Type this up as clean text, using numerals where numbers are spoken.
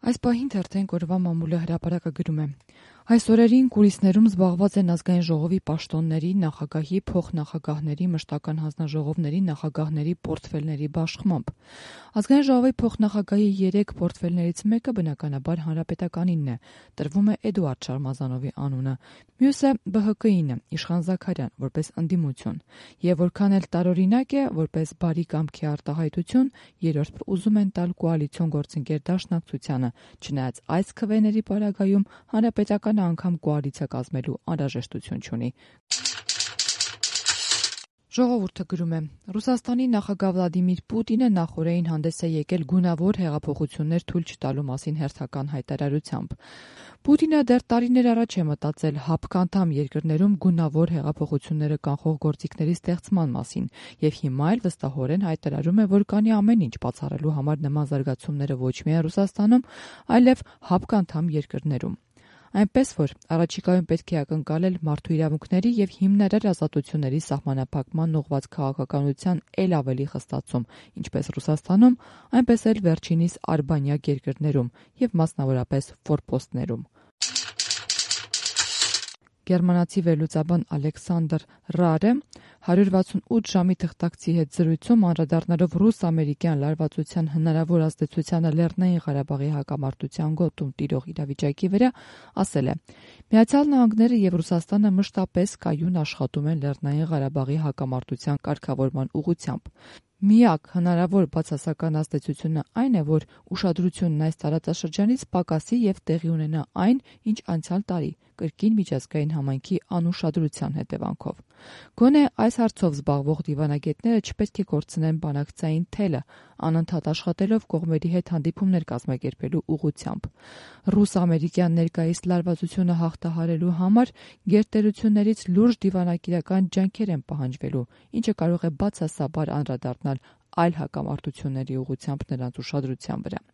Այս պահին թերթենք օրվա մամուլը հրապարակը գրում է. Այս օրերին կուլիսներում զբաղված են ազգային ժողովի պաշտոնների, նախագահի, փոխնախագահների, մշտական հանձնաժողովների, նախագահների պորտֆելների բաշխմամբ։ Ազգային ժողովի փոխնախագահի 3 պորտֆելներից մեկը բնականաբար հանրապետականինն է, տրվում է Էդուարդ Շարմազանովի անունը, մյուսը ԲՀԿ-ին է, Իշխան Զաքարյան, որպես ընդդիմություն, եւ որքան էլ տարօրինակ է, որպես բարի կամքի արտահայտություն, երրորդը ուզում են տալ կոալիցիոն գործընկեր Դաշնակցությանը, չնայած այս քվեների պարագայում հանրապետականը անգամ կոալիցիա կազմելու անհրաժեշտություն չունի։ Ժողովուրդը գրում է. Ռուսաստանի նախագահ Վլադիմիր Պուտինը նախօրեին հանդես է եկել գունավոր հեղափոխություններ թույլ չտալու մասին հերթական հայտարարությամբ։ Պուտինը դեռ տարիներ առաջ է մտածել ՀԱՊԿ անդամ երկրներում գունավոր հեղափոխությունները կանխող գործիքների ստեղծման մասին եւ հիմա էլ վստահորեն հայտարարում է, որ կանի ամեն ինչ բացառելու համար նման զարգացումները ոչ միայն Ռուսաստանում, այլև ՀԱՊԿ անդամ երկրներում։ Այնպես որ առաջիկայում պետք է ակնկալել մարդու իրավունքների եւ հիմնարար ազատությունների սահմանափակման ուղղված քաղաքականության ել ավելի խստացում, ինչպես Ռուսաստանում, այնպես էլ վերջինիս արբանյակ երկրներում եւ մասնավորապես ֆորպոստներում։ Գերմանացի վերլուծաբան Ալեքսանդր Ռարը 168 ժամի թղթակցի հետ զրույցում անդրադառնալով ռուս-ամերիկյան լարվածության հնարավոր ազդեցությանը Լեռնային Ղարաբաղի հակամարտության գոտում տիրող իրավիճակի վրա ասել է. Միացյալ Նահանգները եւ Ռուսաստանը մշտապես կայուն աշխատում են Լեռնային Ղարաբաղի հակամարտության կարգավորման ուղղությամբ։ Միակ հնարավոր բացասական ազդեցությունը այն է, որ ուշադրությունն այս տարածաշրջանից պակասի եւ տեղի ունենա այն, ինչ անցյալ տարի կրկին միջազգային համայնքի անուշադրության հետևանքով։ Գոնե այս հարցով զբաղվող դիվանագետները չպետք է կորցնեն բանակցային թելը, անընդհատ աշխատելով կողմերի հետ հանդիպումներ կազմակերպելու ուղղությամբ։ Ռուս-ամերիկյան ներկայիս լարվածությունը հաղթահարելու համար գերտերություններից լուրջ դիվանագիտական ջանքեր են պահանջվելու, ինչը կարող է բացասաբար անդրադառնալ այլ հակամարտությունների ուղղությամբ նրանց ուշադրության վրա։